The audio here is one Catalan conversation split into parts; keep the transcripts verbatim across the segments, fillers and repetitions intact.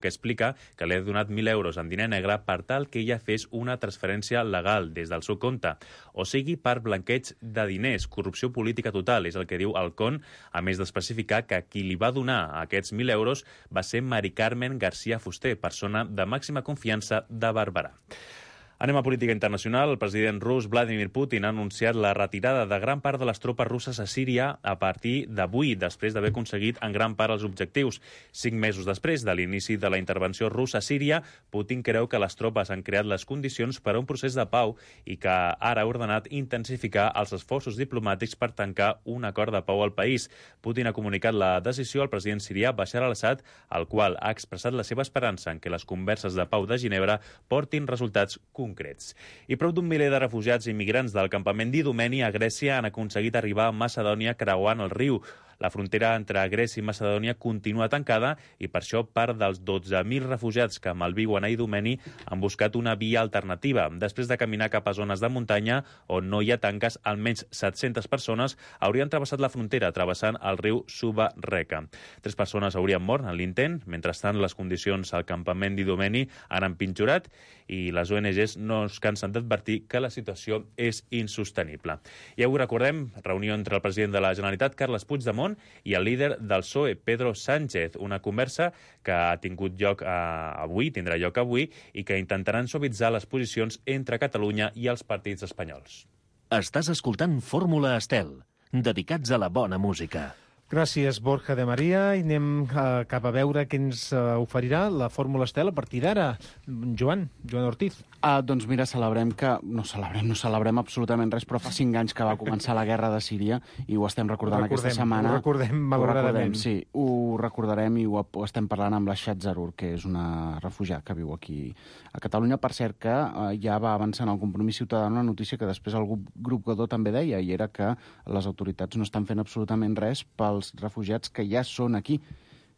que explica que li ha donat mil euros en diner negre per tal que ella fes una transferència legal des del seu compte, o sigui per blanqueig de diners, corrupció política total, és el que diu el C O N, a més d'especificar que qui li va donar aquests mil euros va ser Mari Carmen García Fuster, persona de màxima confiança de Barberà. Anem a política internacional. El president rus Vladimir Putin ha anunciat la retirada de gran part de les tropes russes a Síria a partir d'avui, després d'haver aconseguit en gran part els objectius. Cinc mesos després de l'inici de la intervenció russa a Síria, Putin creu que les tropes han creat les condicions per a un procés de pau i que ara ha ordenat intensificar els esforços diplomàtics per tancar un acord de pau al país. Putin ha comunicat la decisió al president sirià Bashar al-Assad, al qual ha expressat la seva esperança en que les converses de pau de Ginebra portin resultats concrets. concrets. I prop d'un miler de refugiats i migrants del campament d'Idomeni a Grècia han aconseguit arribar a Macedònia creuant el riu. La frontera entre Grècia i Macedònia continua tancada i per això part dels dotze mil refugiats que malviuen a Idomeni han buscat una via alternativa. Després de caminar cap a zones de muntanya on no hi ha tanques, almenys set-centes persones haurien travessat la frontera travessant el riu Suba Reka. Tres persones haurien mort en l'intent. Mentrestant, les condicions al campament d'Idomeni han empitjorat i les O N Ges no es cansen d'advertir que la situació és insostenible. I avui recordem reunió entre el president de la Generalitat, Carles Puigdemont, i el líder del P S O E, Pedro Sánchez, una conversa que ha tingut lloc eh, avui, tindrà lloc avui, i que intentaran suavitzar les posicions entre Catalunya i els partits espanyols. Estàs escoltant Fórmula Estel, dedicats a la bona música. Gràcies, Borja de Maria. I anem uh, cap a veure què ens uh, oferirà la Fórmula Estel a partir d'ara. Joan, Joan Ortiz. Uh, doncs mira, celebrem que... No celebrem, no celebrem absolutament res, però fa cinc anys que va començar la guerra de Síria i ho estem recordant recordem, aquesta setmana. Ho recordem, malauradament. Sí, ho recordarem i ho, ho estem parlant amb la Shat Zarur, que és una refugiada que viu aquí a Catalunya. Per cert, que uh, ja va avançant el Compromís Ciutadà una notícia que després el grup, grup Godó també deia, i era que les autoritats no estan fent absolutament res pel els refugiats que ja són aquí,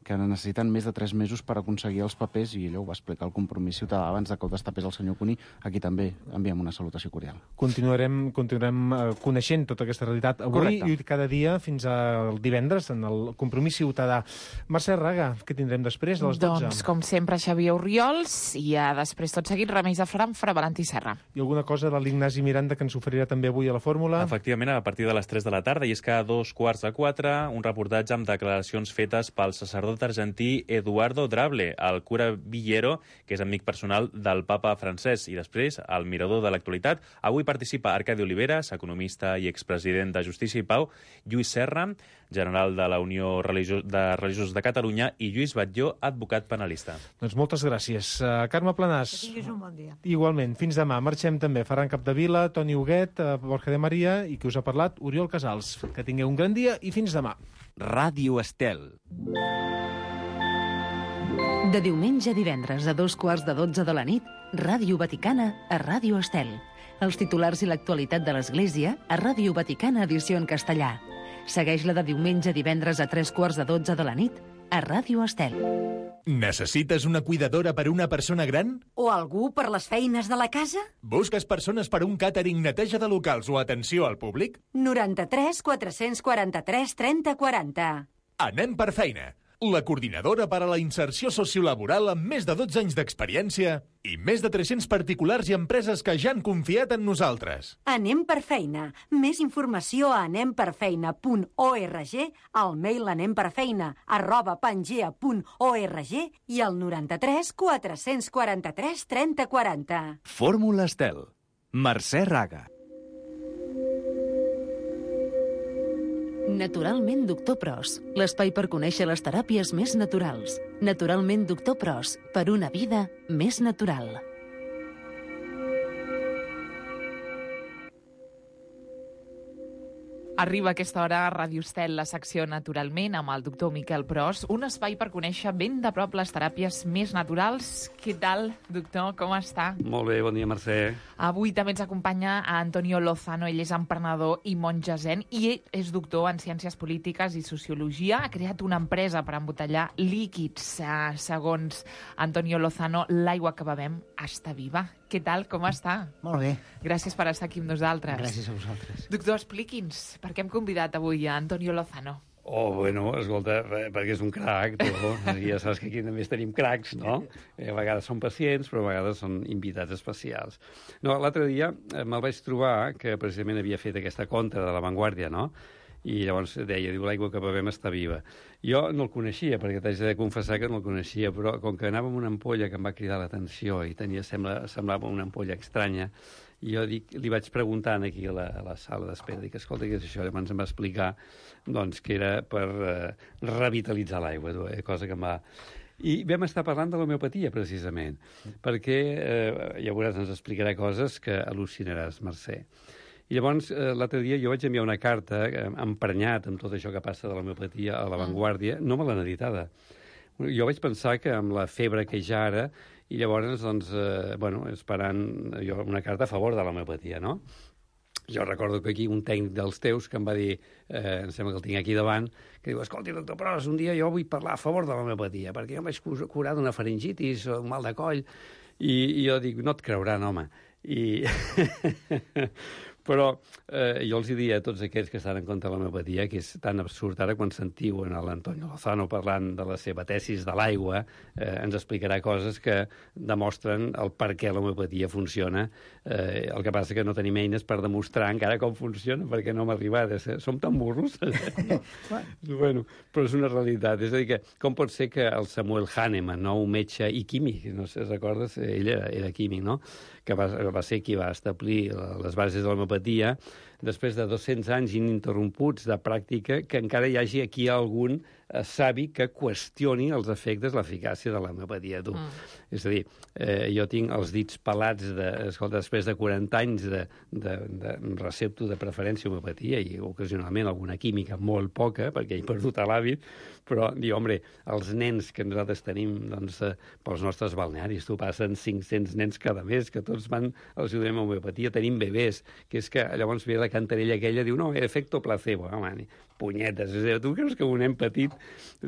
que necessiten més de tres mesos per aconseguir els papers, i allò ho va explicar el Compromís Ciutadà abans de que ho destapés el senyor Cuní. Aquí també enviem una salutació cordial. Continuarem, continuarem uh, coneixent tota aquesta realitat avui. Correcte. I cada dia fins al divendres en el Compromís Ciutadà. Mercè Raga, què tindrem després a les dotze? Doncs, com sempre, Xavier Oriols i ja després tot seguit Remeis de Fran, Fra Valentí Serra. I alguna cosa de l'Ignasi Miranda que ens oferirà també avui a la Fórmula? Efectivament, a partir de les tres de la tarda, i és que a dos quarts de quatre, un reportatge amb declaracions fetes pel sacerdot argentí Eduardo Drable, el cura Villero, que és amic personal del papa francès. I després, al mirador de l'actualitat, avui participa Arcadi Oliveres, economista i expresident de Justícia i Pau, Lluís Serra, general de la Unió Religiós de Religiosos de Catalunya, i Lluís Batlló, advocat penalista. Doncs moltes gràcies. Uh, Carme Planàs. Que tinguis un bon dia. Igualment. Fins demà. Marxem també. Ferran Capdevila, Toni Huguet, uh, Borja de Maria i qui us ha parlat, Oriol Casals. Que tingueu un gran dia i fins demà. Ràdio Estel. De diumenge a divendres a dos quarts de dotze de la nit, Ràdio Vaticana a Ràdio Estel. Els titulars i l'actualitat de l'Església a Ràdio Vaticana edició en castellà. Segueix-la de diumenge a divendres a tres quarts de dotze de la nit a Ràdio Estel. Necessites una cuidadora per una persona gran? O algú per les feines de la casa? Busques persones per un càtering, neteja de locals o atenció al públic? noranta-tres quatre-cents quaranta-tres trenta quaranta. Anem per feina. La coordinadora per a la inserció sociolaboral amb més de dotze anys d'experiència i més de tres-cents particulars i empreses que ja han confiat en nosaltres. Anem per feina. Més informació a anemperfeina punt org, al mail anemperfeina arroba pangea punt org i al noranta-tres quatre-cents quaranta-tres trenta quaranta. Fórmula Estel. Mercè Raga. Naturalment Doctor Pros, l'espai per conèixer les teràpies més naturals. Naturalment Doctor Pros, per una vida més natural. Arriba a aquesta hora a Ràdio Estel, la secció Naturalment, amb el doctor Miquel Pros, un espai per conèixer ben de prop les teràpies més naturals. Què tal, doctor? Com està? Molt bé, bon dia, Mercè. Avui també ens acompanya a Antonio Lozano. Ell és emprenedor i monja zen i ell és doctor en Ciències Polítiques i Sociologia. Ha creat una empresa per embotellar líquids. Segons Antonio Lozano, l'aigua que bevem està viva. Què tal? Com està? Molt bé. Gràcies per estar aquí amb nosaltres. Gràcies a vosaltres. Doctor, expliqui'ns, per què hem convidat avui a Antonio Lozano? Oh, bueno, escolta, perquè és un crac, tu. Ja saps que aquí també tenim cracs, no? A vegades són pacients, però a vegades són invitats especials. No, l'altre dia me'l vaig trobar, que precisament havia fet aquesta contra de La Vanguardia, no? I llavors deia, diu, l'aigua que bevem està viva. Jo no el coneixia, perquè t'haig de confessar que no el coneixia, però com que anava amb una ampolla que em va cridar l'atenció i tenia, sembla, semblava una ampolla estranya, i jo dic, li vaig preguntant aquí a la, a la sala d'espera, dic, escolta, què és això? Llavors em va explicar doncs, que era per eh, revitalitzar l'aigua, eh, cosa que em va... I vam estar parlant de l'homeopatia, precisament, perquè, eh, ja veuràs, ens explicarà coses que al·lucinaràs, Mercè. I llavors, eh, l'altre dia jo vaig enviar una carta eh, emprenyat amb tot això que passa de l'homeopatia a La Vanguardia, no me l'han editada. Jo vaig pensar que amb la febre que hi ha ara, i llavors, doncs, eh, bueno, esperant jo una carta a favor de l'homeopatia, no? Jo recordo que aquí un tècnic dels teus que em va dir, eh, em sembla que el tinc aquí davant, que diu, escolti, doctor Pros, un dia jo vull parlar a favor de l'homeopatia, perquè jo em vaig curar d'una faringitis o un mal de coll, i, i jo dic, no et creuran, home. I... Però eh, jo els diria a tots aquests que estan en contra de l'homeopatia que és tan absurd. Ara, quan sentiu en l'Antonio Lozano parlant de la seva tesis de l'aigua, eh, ens explicarà coses que demostren el per què l'homeopatia funciona. Eh, el que passa que no tenim eines per demostrar encara com funciona, perquè no hem arribat. Eh? Som tan burros. No? Bueno, però és una realitat. És a dir, que com pot ser que el Samuel Hahnemann, no, un metge i químic, no sé si recordes, ell era, era químic, no?, que va, va ser qui va establir les bases de l'homeopatia, després de dos-cents anys ininterromputs de pràctica, que encara hi hagi aquí algun eh, savi que qüestioni els efectes, l'eficàcia de l'homeopatia. Tu. Mm. És a dir, eh, jo tinc els dits pelats, de, escolta, després de quaranta anys de, de, de recepto de preferència homeopatia i ocasionalment alguna química, molt poca, perquè he perdut l'hàbit, però, diu, home, els nens que nosaltres tenim doncs, eh, pels nostres balnearis, tu passen cinc-cents nens cada mes, que tots van als ajudem a homeopatia, tenim bebès, que és que llavors ve la cantarella aquella, diu, no, efecto placebo, home, punyetes, és a dir, tu creus que un nen petit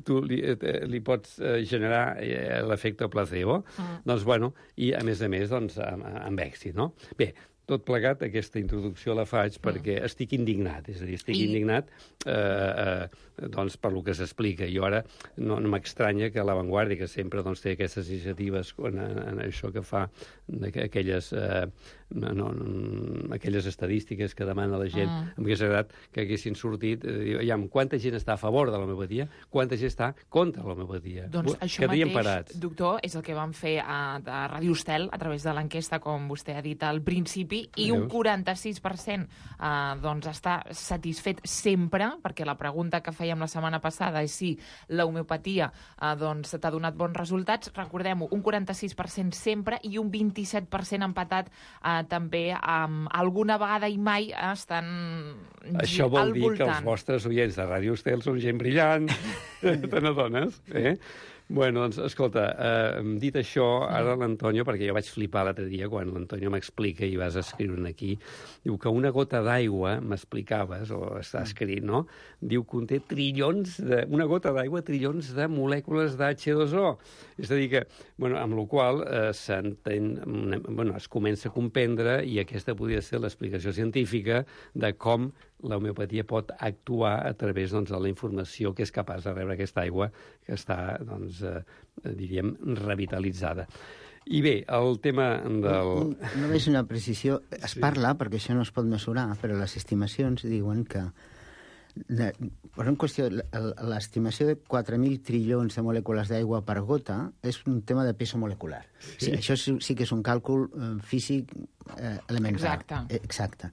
tu li, li pots eh, generar eh, l'efecte placebo? Mm. Doncs, bueno, i a més a més, doncs, amb, amb èxit, no? Bé, tot plegat, aquesta introducció la faig perquè mm. estic indignat, és a dir, estic I... indignat eh, eh, doncs, per lo que s'explica. Jo ara no, no m'estranya que La Vanguardia, que sempre doncs, té aquestes iniciatives en, en això que fa, aquelles, eh, no, no, aquelles estadístiques que demana la gent, mm. em hauria agradat que haguessin sortit, eh, aviam, quanta gent està a favor de l'homeopatia, quanta gent està contra l'homeopatia. Doncs això mateix, parats. Doctor, és el que vam fer a, a Ràdio Estel, a través de l'enquesta, com vostè ha dit al principi, i un quaranta-sis per cent eh, doncs està satisfet sempre, perquè la pregunta que fèiem la setmana passada és si l'homeopatia eh, doncs, t'ha donat bons resultats. Recordem-ho, un quaranta-sis per cent sempre i un vint-i-set per cent empatat eh, també amb alguna vegada i mai estan Això vol al dir voltant. Que els vostres oients de Ràdio Estel són gent brillant, te n'adones, eh? Bueno, doncs, escolta, eh, dit això, ara l'Antonio, perquè jo vaig flipar l'altre dia quan l'Antonio m'explica i vas escriure aquí, diu que una gota d'aigua, m'explicaves, o està escrit, no?, diu que conté trillons, de, una gota d'aigua, trillons de molècules d'H dos O. És a dir que, bueno, amb la qual eh, s'entén, bueno, es comença a comprendre, i aquesta podria ser l'explicació científica de com l'homeopatia pot actuar a través doncs, de la informació que és capaç de rebre aquesta aigua que està, doncs, eh, diríem, revitalitzada. I bé, el tema del... Només una precisió. Es sí. parla, perquè això no es pot mesurar, però les estimacions diuen que de, per una qüestió, l'estimació de quatre mil trillons de molècules d'aigua per gota és un tema de peso molecular. Sí. Sí, això sí, sí que és un càlcul eh, físic eh, elemental. Exacte. Eh, exacte.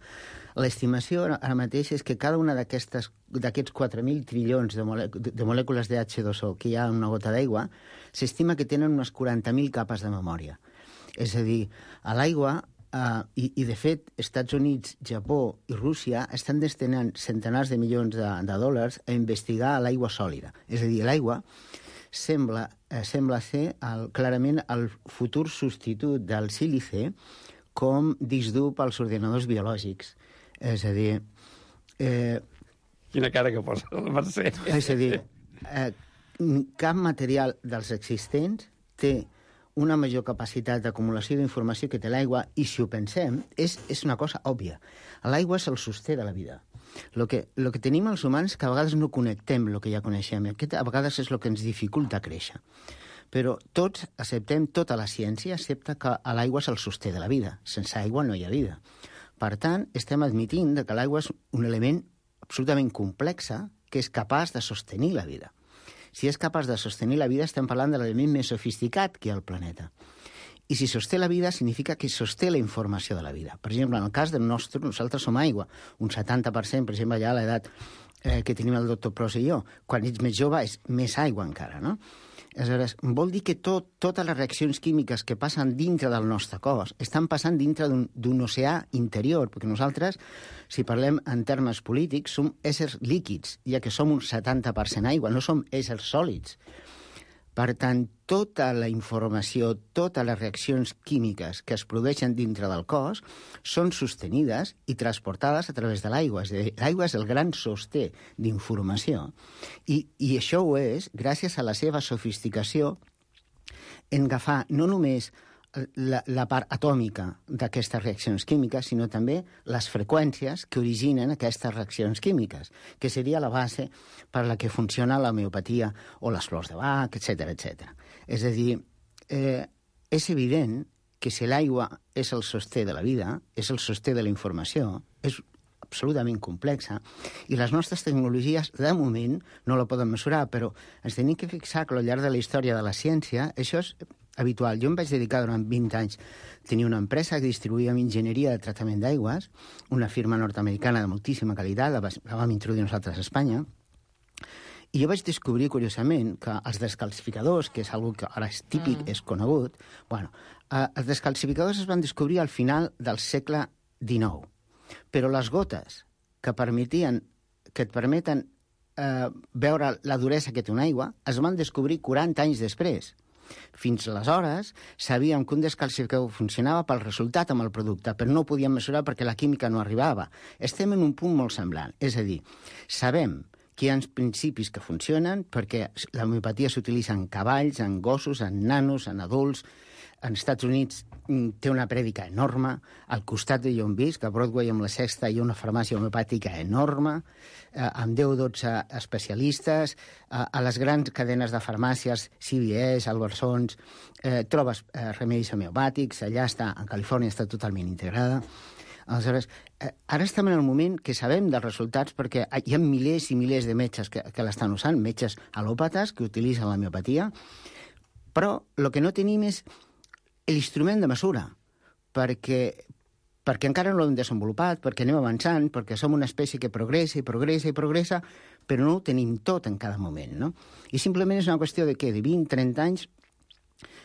L'estimació ara mateix és que cada una d'aquests quatre mil trillons de, mole, de molècules de H dos O que hi ha en una gota d'aigua, s'estima que tenen unes quaranta mil capes de memòria. És a dir, a l'aigua, uh, i, i de fet, Estats Units, Japó i Rússia estan destinant centenars de milions de, de dòlars a investigar l'aigua sòlida. És a dir, l'aigua sembla, eh, sembla ser el, clarament el futur substitut del sílice com disc dur pels ordinadors biològics. És a dir... Eh, Quina cara que posa la Mercè. És a dir, eh, cap material dels existents té una major capacitat d'acumulació d'informació que té l'aigua, i si ho pensem, és, és una cosa òbvia. L'aigua és el sosté de la vida. El que, lo que tenim els humans que a vegades no connectem el que ja coneixem. Aquest a vegades és el que ens dificulta créixer. Però tots acceptem tota la ciència, excepte que l'aigua és el sosté de la vida. Sense aigua no hi ha vida. Per tant, estem admitint que l'aigua és un element absolutament complex que és capaç de sostenir la vida. Si és capaç de sostenir la vida, estem parlant de l'element més sofisticat que hi ha al planeta. I si sosté la vida, significa que sosté la informació de la vida. Per exemple, en el cas del nostre, nosaltres som aigua. Un setanta per cent, per exemple, ja a l'edat eh, que tenim el doctor Pros i jo. Quan ets més jove és més aigua encara, no? Aleshores, vol dir que tot, totes les reaccions químiques que passen dintre del nostre cos estan passant dintre d'un oceà interior, perquè nosaltres, si parlem en termes polítics, som éssers líquids, ja que som un setanta per cent aigua, no som éssers sòlids. Per tant, tota la informació, totes les reaccions químiques que es produeixen dintre del cos són sostenides i transportades a través de l'aigua. És a dir, l'aigua és el gran sosté d'informació. I, I això ho és gràcies a la seva sofisticació en agafar no només la, la part atòmica d'aquestes reaccions químiques, sinó també les freqüències que originen aquestes reaccions químiques, que seria la base per la que funciona l'homeopatia o les flors de Bach, etcètera, etcètera. És a dir, eh, és evident que si l'aigua és el sosté de la vida, és el sosté de la informació, és absolutament complexa, i les nostres tecnologies, de moment, no la poden mesurar, però ens tenim que fixar que al llarg de la història de la ciència això és habitual. Jo em vaig dedicar durant vint anys a tenir una empresa que distribuïa enginyeria de tractament d'aigües, una firma nord-americana de moltíssima qualitat, la, la vam introduir nosaltres a Espanya, i jo vaig descobrir, curiosament, que els descalcificadors, que és una que ara és típic, mm. és conegut, bueno, eh, els descalcificadors es van descobrir al final del segle dinou, però les gotes que permetien, que et permeten eh, veure la duresa que té una aigua es van descobrir quaranta anys després. Fins aleshores sabíem que un descalcificador funcionava pel resultat amb el producte, però no ho podíem mesurar perquè la química no arribava. Estem en un punt molt semblant. És a dir, sabem que hi ha principis que funcionen perquè l'homeopatia s'utilitza en cavalls, en gossos, en nanos, en adults. En Estats Units té una prèdica enorme. Al costat de on visc, a Broadway, amb la Sexta, hi ha una farmàcia homeopàtica enorme, eh, amb deu o dotze especialistes. Eh, a les grans cadenes de farmàcies, C V S, Albertsons, eh, trobes eh, remeis homeopàtics. Allà està, a Califòrnia està totalment integrada. Aleshores, eh, ara estem en el moment que sabem dels resultats perquè hi ha milers i milers de metges que, que l'estan usant, metges alòpates que utilitzen l'homeopatia, però el que no tenim és l'instrument de mesura, perquè, perquè encara no l'hem desenvolupat, perquè anem avançant, perquè som una espècie que progressa i progressa i progressa, però no ho tenim tot en cada moment, no? I simplement és una qüestió de què? De vint a trenta anys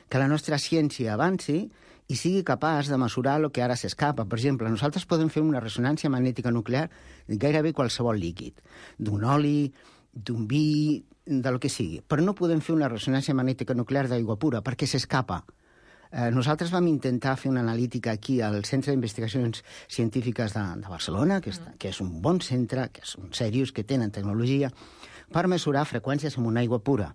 que la nostra ciència avanci i sigui capaç de mesurar el que ara s'escapa. Per exemple, nosaltres podem fer una ressonància magnètica nuclear de gairebé qualsevol líquid, d'un oli, d'un vi, de lo que sigui, però no podem fer una ressonància magnètica nuclear d'aigua pura, perquè s'escapa. Eh, nosaltres vam intentar fer una analítica aquí al Centre d'Investigacions Científiques de, de Barcelona, que, està, que és un bon centre, que són serios, que tenen tecnologia, per mesurar freqüències amb una aigua pura.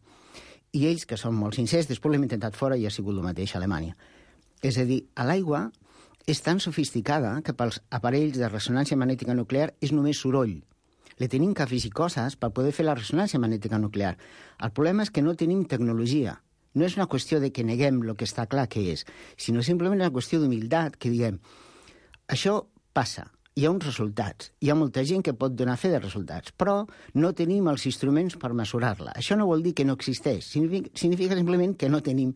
I ells, que són molt sincers, després l'hem intentat fora i ha sigut el mateix a Alemanya. És a dir, l'aigua és tan sofisticada que pels aparells de ressonància magnètica nuclear és només soroll. Le tenim que afegir coses per poder fer la ressonància magnètica nuclear. El problema és que no tenim tecnologia. No és una qüestió de que neguem el que està clar que és, sinó simplement una qüestió d'humilitat, que diguem, això passa, hi ha uns resultats, hi ha molta gent que pot donar fe de resultats, però no tenim els instruments per mesurar-la. Això no vol dir que no existeix, significa, significa simplement que no tenim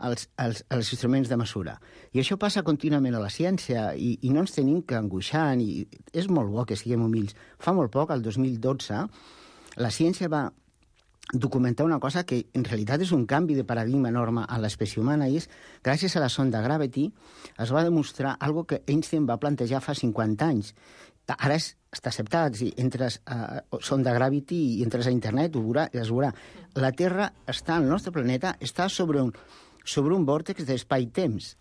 els, els, els instruments de mesura. I això passa contínuament a la ciència i, i no ens tenim que angoixar, i és molt bo que siguem humils. Fa molt poc, el dos mil dotze, la ciència va documentar una cosa que en realitat és un canvi de paradigma enorme a l'espècie humana, i és, gràcies a la sonda Gravity, es va demostrar algo que Einstein va plantejar fa cinquanta anys. Ara és, està acceptat, si entres a sonda Gravity i entres a internet, ho veurà, es veurà. La Terra està, el nostre planeta, està sobre un, sobre un vòrtex d'espai-temps.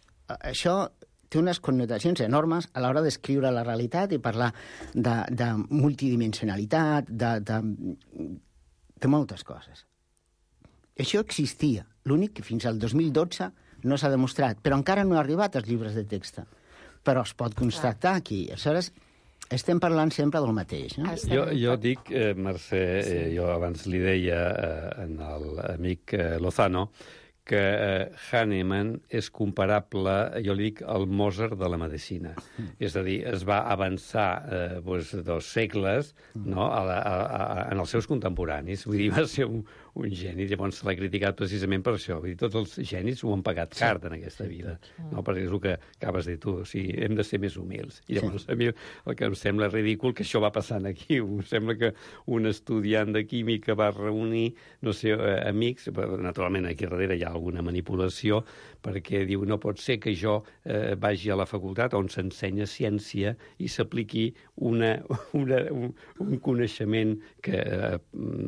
Això té unes connotacions enormes a l'hora d'escriure la realitat i parlar de, de multidimensionalitat, de, de de moltes coses. Això existia, l'únic que fins al dos mil dotze no s'ha demostrat, però encara no ha arribat als llibres de text, però es pot constatar aquí. Aleshores, estem parlant sempre del mateix. No? Jo, jo dic, eh, Mercè, eh, jo abans li deia eh, en l'amic eh, Lozano, que eh, Hahnemann és comparable, jo li dic, al Mozart de la medicina. Mm. És a dir, es va avançar eh, doncs, dos segles no, a la, a, a, en els seus contemporanis. Vull dir, va ser un, un geni, llavors se l'ha criticat precisament per això. Vull dir, tots els genis ho han pagat car en aquesta vida, no? Perquè és el que acabes de dir tu, o sigui, hem de ser més humils. I llavors sí. A mi el que em sembla ridícul que això va passant aquí. Em sembla que un estudiant de química va reunir, no sé, eh, amics, naturalment aquí darrere hi ha alguna manipulació, perquè diu, no pot ser que jo eh, vagi a la facultat on s'ensenya ciència i s'apliqui una, una, un, un coneixement que eh,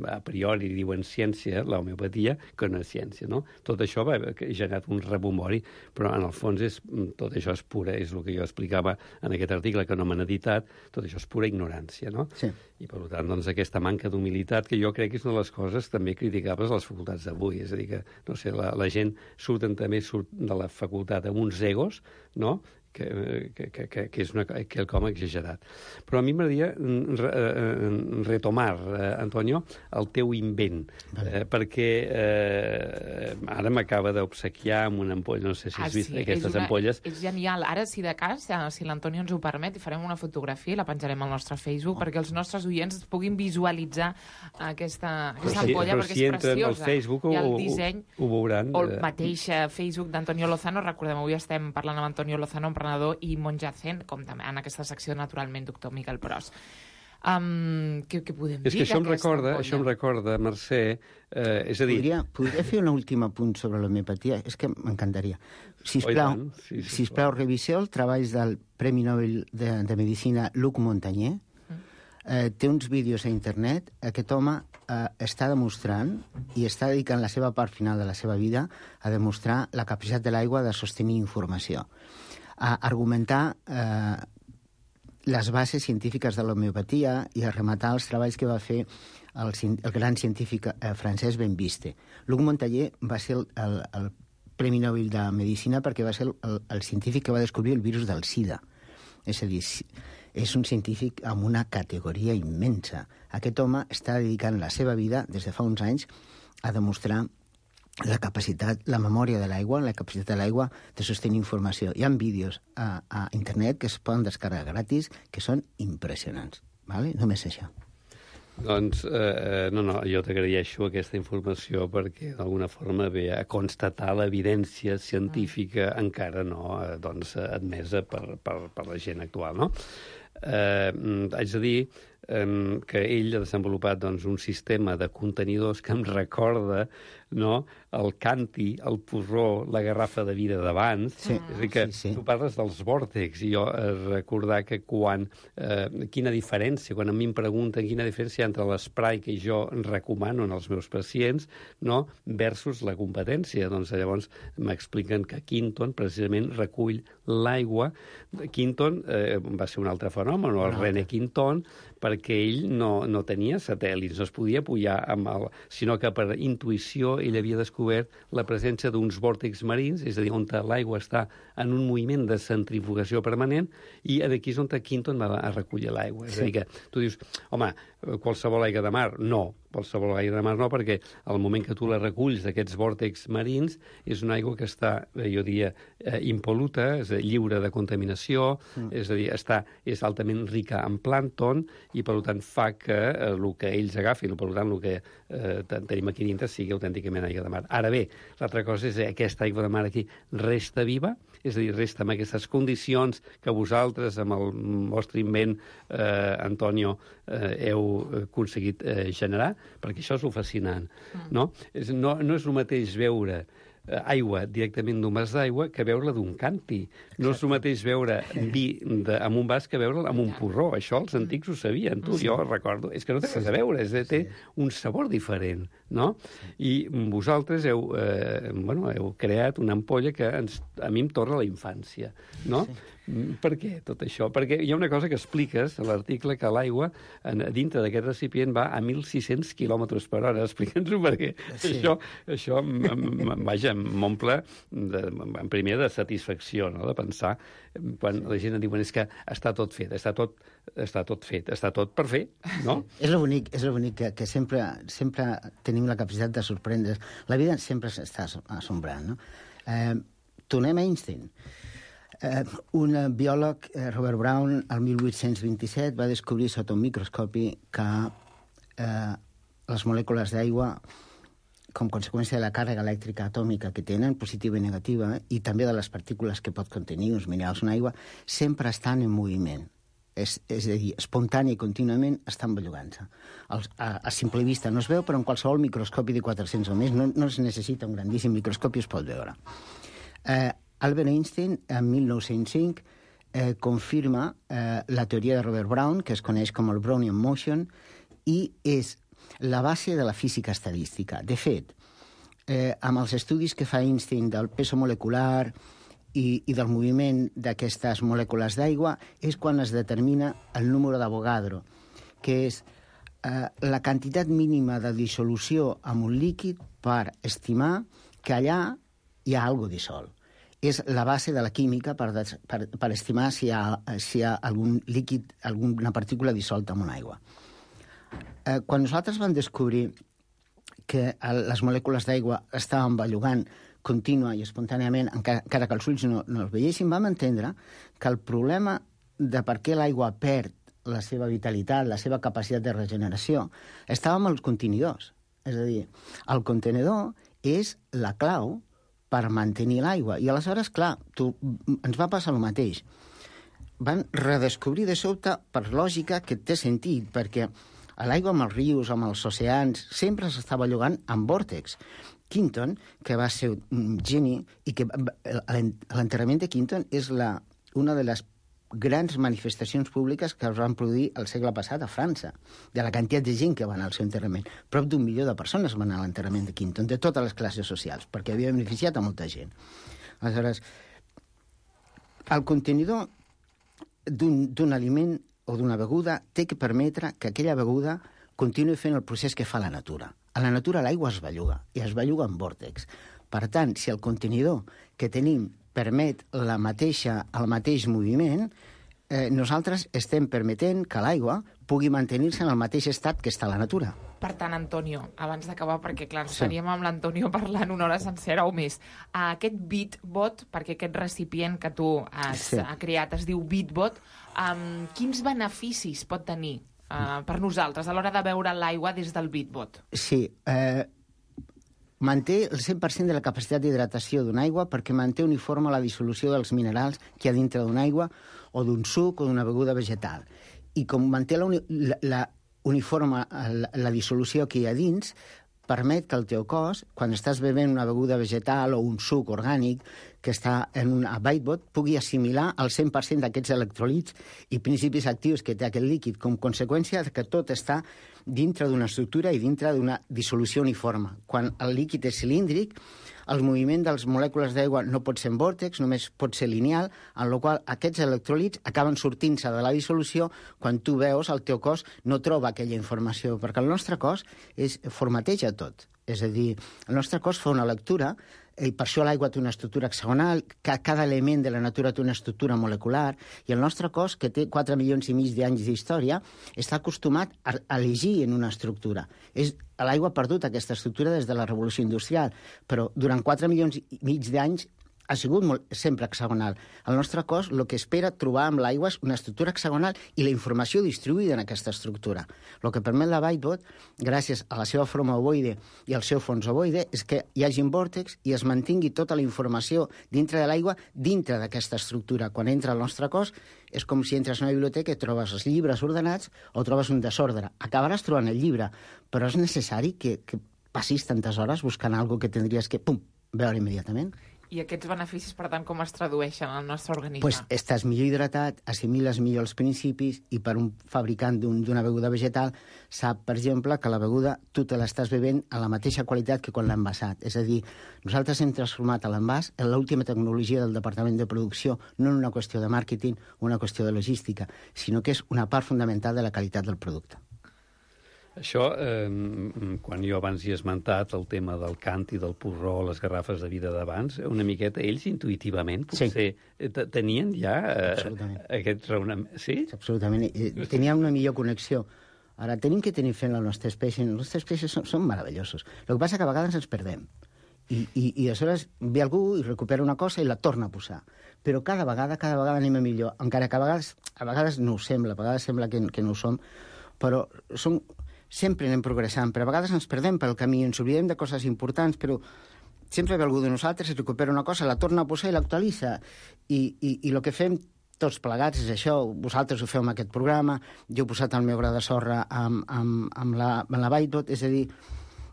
a priori diuen ciència, l'homeopatia, que no és ciència, no? Tot això va ha generat un rebombori, però en el fons és, tot això és pura, és el que jo explicava en aquest article que no m'han editat, tot això és pura ignorància, no? Sí. I per tant, doncs, aquesta manca d'humilitat, que jo crec que és una de les coses també criticables a les facultats d'avui, és a dir, que, no sé, la, la gent surten també surt de la facultat amb uns egos, no?, que, que, que, que és una, quelcom exagerat. Però a mi m'agradaria re, retomar, eh, Antonio, el teu invent, eh, perquè eh, ara m'acaba d'obsequiar amb una ampolla, no sé si has ah, vist sí, aquestes una, ampolles. És genial. Ara, si de cas, si l'Antonio ens ho permet, i farem una fotografia i la penjarem al nostre Facebook, oh. perquè els nostres oients puguin visualitzar aquesta, aquesta sí, ampolla, perquè si és preciosa. Al Facebook I el disseny, ho, ho veuran. O el mateix Facebook d'Antonio Lozano. Recordem, avui estem parlant amb Antonio Lozano, emprenedor i monja zen, com també en aquesta secció, naturalment, doctor Miquel Pros. Um, què, què podem és dir? És que això em recorda, això em recorda, Mercè, eh, és a dir... Podria, podria fer un últim apunt sobre l'homeopatia? És que m'encantaria. Sisplau, oh, sí, sí, sisplau, reviseu els treballs del Premi Nobel de, de Medicina Luc Montagnier. Mm. Eh, té uns vídeos a internet. Aquest home eh, està demostrant i està dedicant la seva part final de la seva vida a demostrar la capacitat de l'aigua de sostenir informació, a argumentar eh, les bases científiques de l'homeopatia i a rematar els treballs que va fer el, el gran científic eh, francès Benviste. Luc Montagnier va ser el, el, el Premi Nobel de Medicina perquè va ser el, el, el científic que va descobrir el virus del SIDA. És a dir, és un científic amb una categoria immensa. Aquest home està dedicant la seva vida, des de fa uns anys, a demostrar la capacitat, la memòria de l'aigua, la capacitat de l'aigua de sostenir informació. Hi ha vídeos a, a internet que es poden descarregar gratis que són impressionants. Vale? Només això. Doncs, eh, no, no, jo t'agraeixo aquesta informació perquè d'alguna forma ve a constatar l'evidència científica mm. encara no eh, doncs, admesa per, per, per la gent actual, no? Eh, haig de dir eh, que ell ha desenvolupat doncs, un sistema de contenidors que em recorda, no?, el canti, el porró, la garrafa de vida d'abans. Sí. És a dir, que sí, sí. Tu parles dels vòrtex, i jo eh, recordar que quan... Eh, quina diferència, quan a mi em pregunten quina diferència entre l'esprai que jo recomano als meus pacients, no?, versus la competència. Doncs llavors m'expliquen que Quinton precisament recull l'aigua. Quinton eh, va ser un altre fenomen, el no. René Quinton, perquè ell no, no tenia satèl·lits, no es podia apujar amb el... sinó que per intuïció ell havia descobert la presència d'uns vòrtex marins, és a dir, on l'aigua està en un moviment de centrifugació permanent, i aquí és on Quinton va a recollir l'aigua. És a dir, que tu dius, home, qualsevol aigua de mar? No, qualsevol aigua de mar no, perquè al moment que tu la reculls d'aquests vòrtex marins és una aigua que està, jo diria, eh, impol·luta, és a dir, lliure de contaminació, mm. és a dir, està, és altament rica en plàncton, i per tant fa que eh, el que ells agafin, per tant el que eh, tenim aquí dintre sigui autènticament aigua de mar. Ara bé, l'altra cosa és que aquesta aigua de mar aquí resta viva, és a dir, resta amb aquestes condicions que vosaltres, amb el vostre invent, eh, Antonio, eh, heu aconseguit eh, generar, perquè això és el fascinant, mm. no? És, no? No és el mateix veure aigua directament d'un vas d'aigua que beure-la d'un canti. No és el mateix beure vi de, amb un vas que beure amb un porró. Això els antics ho sabien, tu, sí. Jo recordo. És que no té res a veure, és, té un sabor diferent, no? I vosaltres heu, eh, bueno, heu creat una ampolla que ens, a mi em torna a la infància, no? Sí. Per què tot això? Perquè hi ha una cosa que expliques a l'article, que l'aigua dintre d'aquest recipient va a mil sis-cents quilòmetres per hora. Explica'ns-ho, perquè sí. això, això vaja, m'omple en primer de satisfacció, no? De pensar, quan la gent diu és que està tot fet, està tot, està tot fet, està tot per fer, no? És lo bonic, és lo bonic que, que sempre, sempre tenim la capacitat de sorprendre's. La vida sempre s'està assombrant, no? Eh, tornem a Einstein. Eh, un biòleg, eh, Robert Brown, el mil vuit-cents vint-i-set, va descobrir sota un microscopi que eh, les molècules d'aigua, com conseqüència de la càrrega elèctrica atòmica que tenen, positiva i negativa, i també de les partícules que pot contenir uns minerals en aigua, sempre estan en moviment. És, és a dir, espontani i contínuament estan bellugant-se. A, a simple vista no es veu, però en qualsevol microscopi de quatre-cents o més no, no es necessita un grandíssim microscopi, es pot veure. Eh, Albert Einstein, en mil nou-cents cinc, eh, confirma eh, la teoria de Robert Brown, que es coneix com el Brownian motion, i és la base de la física estadística. De fet, eh, amb els estudis que fa Einstein del peso molecular i, i del moviment d'aquestes molècules d'aigua, és quan es determina el número d'Avogadro, que és eh, la quantitat mínima de dissolució en un líquid per estimar que allà hi ha alguna cosa dissolt. És la base de la química per, des, per, per estimar si hi ha, si hi ha algun líquid, alguna partícula dissolta en una aigua. Eh, quan nosaltres vam descobrir que el, les molècules d'aigua estaven bellugant contínua i espontàniament, encara, encara que els ulls no, no els veiessin, vam entendre que el problema de per què l'aigua perd la seva vitalitat, la seva capacitat de regeneració, estava amb els contenidors. És a dir, el contenidor és la clau per mantenir l'aigua. I aleshores, clar, tu, ens va passar el mateix. Van redescobrir de sobte, per lògica, que té sentit, perquè l'aigua amb els rius, amb els oceans, sempre s'estava llogant amb vòrtex. Quinton, que va ser un geni, i que l'enterrament de Quinton és la, una de les grans manifestacions públiques que es van produir el segle passat a França, de la quantitat de gent que va anar al seu enterrament. Prop d'un milió de persones van anar a l'enterrament de Quinton, de totes les classes socials, perquè havia beneficiat a molta gent. Aleshores, el contenidor d'un aliment o d'una beguda té que permetre que aquella beguda continuï fent el procés que fa la natura. A la natura l'aigua es belluga, i es belluga en vòrtex. Per tant, si el contenidor que tenim permet la mateixa, el mateix moviment, eh, nosaltres estem permetent que l'aigua pugui mantenir-se en el mateix estat que està a la natura. Per tant, Antonio, abans d'acabar, perquè clar, sí. estaríem amb l'Antonio parlant una hora sencera o més, aquest BeatBot, perquè aquest recipient que tu has sí. creat es diu BeatBot, um, quins beneficis pot tenir uh, per nosaltres a l'hora de beure l'aigua des del BeatBot? Sí, eh, manté el cent per cent de la capacitat d'hidratació d'una aigua perquè manté uniforme la dissolució dels minerals que hi ha dintre d'una aigua o d'un suc o d'una beguda vegetal. I com manté la, la, la uniforme la, la dissolució que hi ha dins, permet que el teu cos, quan estàs bevent una beguda vegetal o un suc orgànic que està en un BeatBot, pugui assimilar el cent per cent d'aquests electrolits i principis actius que té aquest líquid, com conseqüència que tot està dintre d'una estructura i dintre d'una dissolució uniforme. Quan el líquid és cilíndric, el moviment de les molècules d'aigua no pot ser en vòrtex, només pot ser lineal, en el qual aquests electròlits acaben sortint-se de la dissolució quan tu veus el teu cos no troba aquella informació, perquè el nostre cos és, formateja tot. És a dir, el nostre cos fa una lectura, i per això l'aigua té una estructura hexagonal, cada element de la natura té una estructura molecular, i el nostre cos, que té quatre milions i mig d'anys d'història, està acostumat a elegir en una estructura. És, l'aigua ha perdut aquesta estructura des de la revolució industrial, però durant quatre milions i mig d'anys ha sigut molt, sempre hexagonal. El nostre cos el que espera trobar amb l'aigua és una estructura hexagonal i la informació distribuïda en aquesta estructura. El que permet la BeatBot, gràcies a la seva forma ovoide i al seu fons ovoide, és que hi hagi vòrtex i es mantingui tota la informació dintre de l'aigua, dintre d'aquesta estructura. Quan entra al nostre cos, és com si entres a una biblioteca i trobes els llibres ordenats o trobes un desordre. Acabaràs trobant el llibre, però és necessari que, que passis tantes hores buscant alguna que tindries que, pum, veure immediatament. I aquests beneficis, per tant, com es tradueixen al nostre organisme? Pues estàs millor hidratat, assimiles millor els principis i per un fabricant d'una beguda vegetal sap, per exemple, que la beguda tu te l'estàs bevent a la mateixa qualitat que quan l'ha envasat. És a dir, nosaltres hem transformat l'envàs en l'última tecnologia del Departament de Producció, no en una qüestió de màrqueting o una qüestió de logística, sinó que és una part fonamental de la qualitat del producte. Això, eh, quan jo abans hi he esmentat el tema del cant i del porró, les garrafes de vida d'abans, una miqueta ells intuïtivament potser sí. tenien ja eh, aquest raonament. Sí? Absolutament. Teníem una millor connexió. Ara, tenim que tenir fent la nostra espècie. Els nostres espècies són, són meravellosos. El que passa que a vegades ens perdem. I, i, i aleshores ve algú i recupera una cosa i la torna a posar. Però cada vegada, cada vegada anem a millor. Encara que a vegades, a vegades no ho sembla, a vegades sembla que, que no ho som, però som... sempre anem progressant, però a vegades ens perdem pel camí, ens oblidem de coses importants, però sempre ve algú de nosaltres, recupera una cosa, la torna a posar i l'actualitza. I, i, i el que fem tots plegats és això, vosaltres ho feu amb aquest programa, jo he posat el meu gra de sorra amb, amb, amb la, amb la Whitebot, és a dir,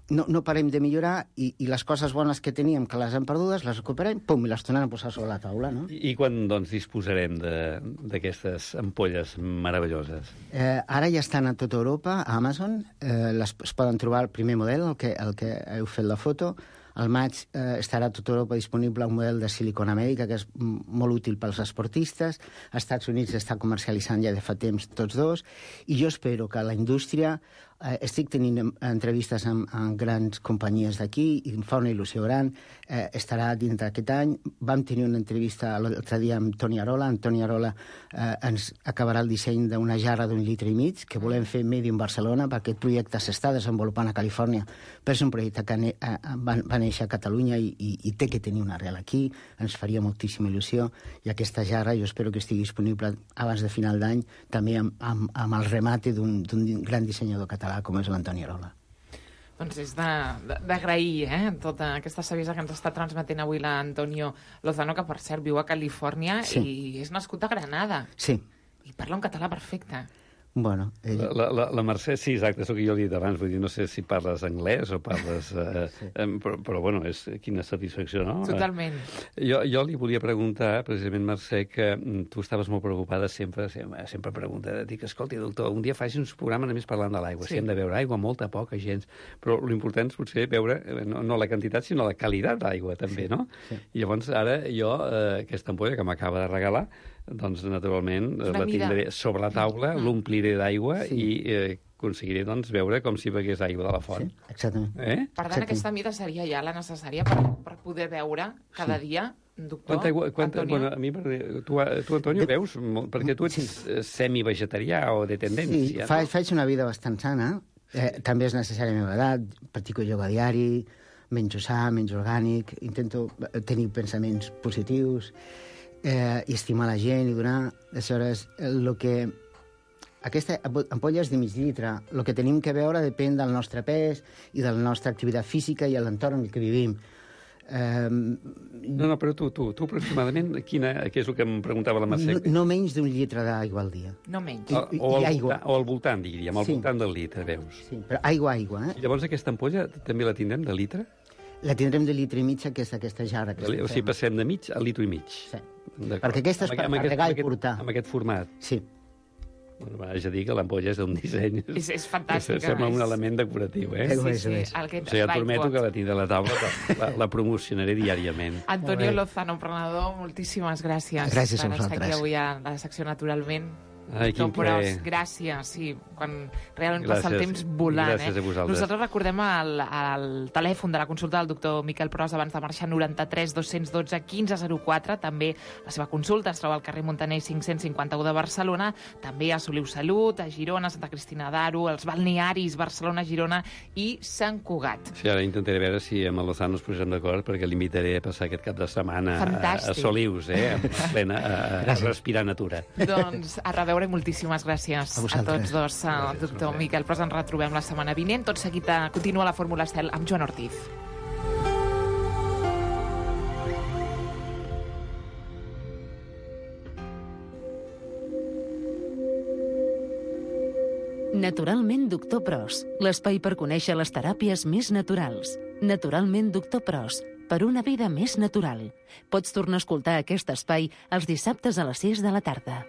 no, no parem de millorar i, i les coses bones que teníem, que les hem perdudes, les recuperem, pum, i les tornem a posar sobre la taula, no? I, i quan, doncs, disposarem d'aquestes ampolles meravelloses? Eh, ara ja estan a tota Europa, a Amazon, eh, les, es poden trobar el primer model, el que, el que heu fet la foto. Al maig eh, estarà a tota Europa disponible un model de Silicon Amèrica que és molt útil pels esportistes. Als Estats Units està comercialitzant ja de fa temps tots dos. I jo espero que la indústria... Eh, estic tenint entrevistes amb, amb grans companyies d'aquí i em fa una il·lusió gran. Eh, estarà dintre aquest any. Vam tenir una entrevista l'altre dia amb Toni Arola. En Toni Arola eh, ens acabarà el disseny d'una jarra d'un litre i mig que volem fer Made in Barcelona, perquè aquest projecte s'està desenvolupant a Califòrnia, però és un projecte que ne, eh, va, va néixer a Catalunya i, i, i té que tenir una arrel aquí. Ens faria moltíssima il·lusió i aquesta jarra jo espero que estigui disponible abans de final d'any, també amb, amb, amb el remate d'un gran dissenyador català com és l'Antoni Arola. Doncs és d'agrair, eh, tota aquesta saviesa que ens està transmetent avui l'Antonio Lozano, que per cert viu a Califòrnia sí. i és nascut a Granada. Sí. I parla un català perfecte. Bueno, ell... la, la, la Mercè, sí, exacte, és el que jo li he dit abans, vull dir, no sé si parles anglès o parles... Eh, sí. eh, però, però, bueno, és quina satisfacció, no? Totalment. Eh, jo, jo li volia preguntar, precisament, Mercè, que tu estaves molt preocupada sempre, sempre, sempre pregunta, dic, escolti, doctor, un dia faci uns programes només parlant de l'aigua, sí. Si hem de beure aigua, molta, poca, gens, però l'important és potser veure, no, no la quantitat, sinó la qualitat d'aigua, també, sí. No? Sí. I llavors, ara, jo, eh, aquesta ampolla que m'acaba de regalar, doncs, naturalment, la tindré sobre la taula, mm. l'ompliré d'aigua sí. i eh, aconseguiré, doncs, veure com si begués aigua de la font. Sí, exactament. Eh? Per tant, Exactament. Aquesta mida seria ja la necessària per, per poder beure cada sí. dia, doctor quanta aigua, quanta, Antonio? Bueno, a mi, tu, tu Antonio, de... veus? Perquè tu ets sí. semi-vegetarià o de tendència. Sí, fa, faig una vida bastant sana. Eh, també és necessària la meva edat, practico ioga diari, menjo sa, menjo orgànic, intento tenir pensaments positius, eh, i estimar la gent i donar... Aleshores, el que... Aquesta ampolla és de mig litre. El que tenim que veure depèn del nostre pes i de la nostra activitat física i l'entorn en què vivim. Um... No, no, però tu, tu, tu aproximadament, quina, què és el que em preguntava la Mercè? No, no menys d'un litre d'aigua al dia. No menys. I, i, o, al voltant, o al voltant, diríem, al sí. voltant del litre, veus? Sí, però aigua, aigua, eh? I llavors aquesta ampolla també la tindrem de litre? La tindrem de litre i mig, que és aquesta jarra. Que o sigui, passem de mig a litre i mig. Sí. Perquè aquesta és per carregar i portar. Amb aquest format. Sí. Bueno, vaig a dir que l'ampolla és d'un disseny... És, és fantàstica. Sembla un element decoratiu, eh? Sí, sí, sí. El que... O sigui, et prometo que la tindré a la taula, que la, la promocionaré diàriament. Antonio Lozano, emprenedor, moltíssimes gràcies. Gràcies a vosaltres. Per estar aquí avui a la secció Naturalment. Ai, quin plaer. Gràcies, sí, quan realment gràcies, passa el temps volant. Gràcies eh? a vosaltres. Nosaltres recordem el, el telèfon de la consulta del doctor Miquel Pros abans de marxar, noranta-tres dos cents dotze quinze zero quatre. També la seva consulta es troba al carrer Montaner cinc-cents cinquanta-u de Barcelona. També a Soliu Salut, a Girona, Santa Cristina d'Aro, els balnearis Barcelona, Girona i Sant Cugat. Sí, ara intentaré veure si amb el Lozano ens posem d'acord, perquè l'invitaré a passar aquest cap de setmana a, a Solius, eh? a plena, a, a respirar natura. Doncs a reveure i moltíssimes gràcies a, a tots dos. Gràcies, doctor Miquel Pros, ens retrobem la setmana vinent. Tot seguit continua la Fórmula Estel amb Joan Ortiz. Naturalment, doctor Pros, l'espai per conèixer les teràpies més naturals. Naturalment, doctor Pros, per una vida més natural. Pots tornar a escoltar aquest espai els dissabtes a les sis de la tarda.